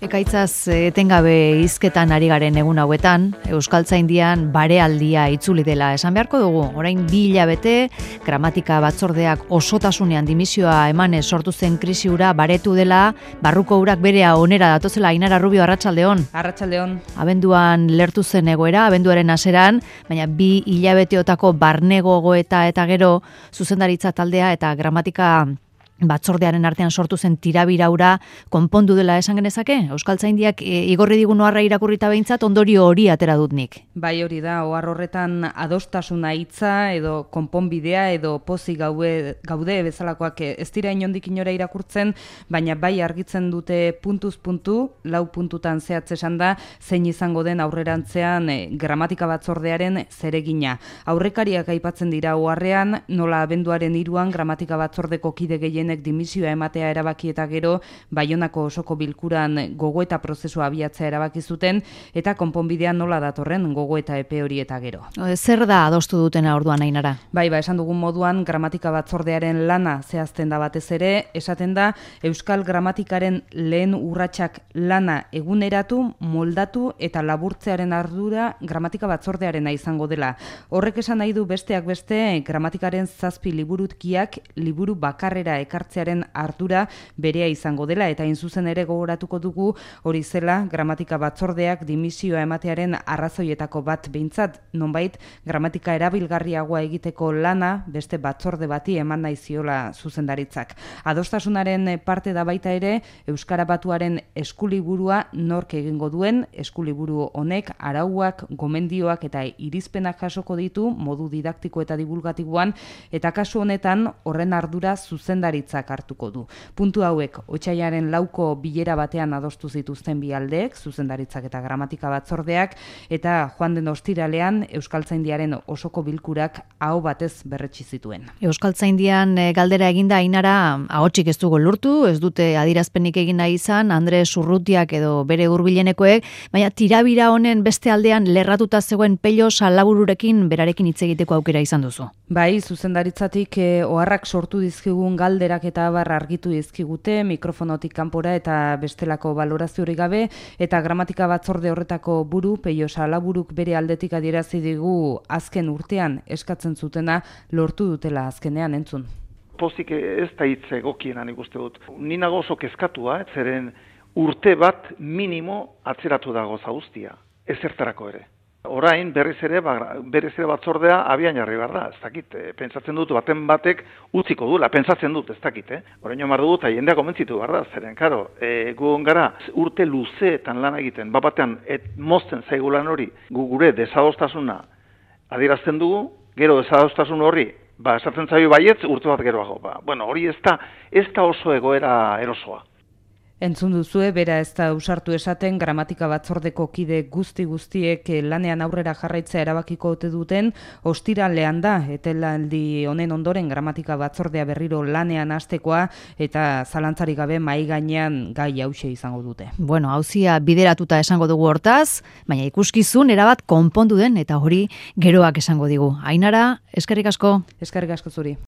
Ekaitzaz etengabe hizketan ari garen egun hauetan, Euskaltzaindian barealdia itzuli dela esan beharko dugu. Orain 2 hilabete, gramatika batzordeak osotasunean dimisioa emanez sortu zen krisi hura baretu dela, barruko urak berea onera datozela. Ainara Rubio, arratsaldeon. Arratsaldeon. Abenduan lertu zen egoera, abenduaren hasieran, baina 2 hilabeteotako barne gogoeta eta gero zuzendaritza taldea eta gramatika batzordearen artean sortu zen tirabiraura konpondu dela esan genezake? Euskaltzaindiak igorri digun oharra irakurrita behintzat ondorio hori atera dut nik. Bai, hori da, ohar horretan adostasuna hitza edo konponbidea edo pozik gaude bezalakoak ez dira inondik inora irakurtzen, baina bai argitzen dute puntuz puntu, 4 puntutan zehatz esan da, zein izango den aurrerantzean gramatika batzordearen zeregina. Aurrekariak aipatzen dira oharrean, nola abenduaren 3an gramatika batzordeko kide gehien dimisioa ematea erabaki eta gero Baionako osoko bilkuran gogoeta prozesua abiatzea erabaki zuten eta konponbidean nola datorren gogoeta epe hori eta gero. Zer da adostu dutena orduan, Ainara? Bai, esan dugun moduan gramatika batzordearen lana zehazten da batez ere, esaten da euskal gramatikaren lehen urratsak lana eguneratu, moldatu eta laburtzearen ardura gramatika batzordearena izango dela. Horrek esan nahi du besteak beste gramatikaren 7 liburutkiak liburu bakarrera ekartzearen ardura berea izango dela eta zuzen ere gogoratuko dugu hori zela gramatika batzordeak dimisioa ematearen arrazoietako bat behintzat, nonbait gramatika erabilgarriagoa egiteko lana beste batzorde bati eman nahi ziola zuzendaritzak. Adostasunaren parte da baita ere Euskara Batuaren eskuliburua nork egingo duen, eskuliburu honek arauak, gomendioak eta irizpenak jasoko ditu modu didaktiko eta divulgatiboan eta kasu honetan horren ardura zuzendaritzak hartuko du. Puntu hauek otsailaren 4ko bilera batean adostu zituzten bi aldeek, zuzendaritzak eta gramatika batzordeak, eta joan den ostiralean Euskaltzaindiaren osoko bilkurak aho batez berretsi zituen. Euskaltzaindian galdera eginda, Ainara, ahotsik ez dugu lortu, ez dute adierazpenik egin nahi izan, Andres Urrutiak edo bere hurbilenekoek, baina tirabira honen beste aldean lerratuta zegoen Pello Salabururekin berarekin hitz egiteko aukera izan duzu. Bai, zuzendaritzatik oharrak sortu dizkigun galderak eta abar argitu dizkigute mikrofonotik kanpora eta bestelako baloraziorik gabe, eta gramatika batzorde horretako buru Pello Salaburuk bere aldetik adierazi digu azken urtean eskatzen zutena lortu dutela azkenean entzun. Pozik ez da hitz egokiena nik uste dut. Ni nago oso kezkatua, zeren urte bat minimo atzeratu dago guztia, ezertarako ere. Orain berriz ere batzordea abian jarri behar da, ez dakit, pentsatzen dut baten batek utziko duela, pentsatzen dut, ez dakit, Orain omar dut, jendea komentzitu behar da, zeren, karo, gu gara urte luzeetan lan egiten, batean mozten zaigu lan hori, gure desadostasuna adierazten dugu, gero desadostasun horri, esaten zaio baietz, urte bat geroago, hori ez da oso egoera erosoa. Entzun duzue, bera ez da ausartu esaten, gramatika batzordeko kide guztiek lanean aurrera jarraitzea erabakiko ote duten, ostiralean da, etelaldi honen ondoren gramatika batzordea berriro lanean hastekoa, eta zalantzarik gabe mahai gainean gai hauxe izango dute. Bueno, auzia bideratuta esango dugu hortaz, baina ikuskizun erabat konpondu den, eta hori geroak esango digu. Ainara, eskerrik asko. Eskerrik asko zuri.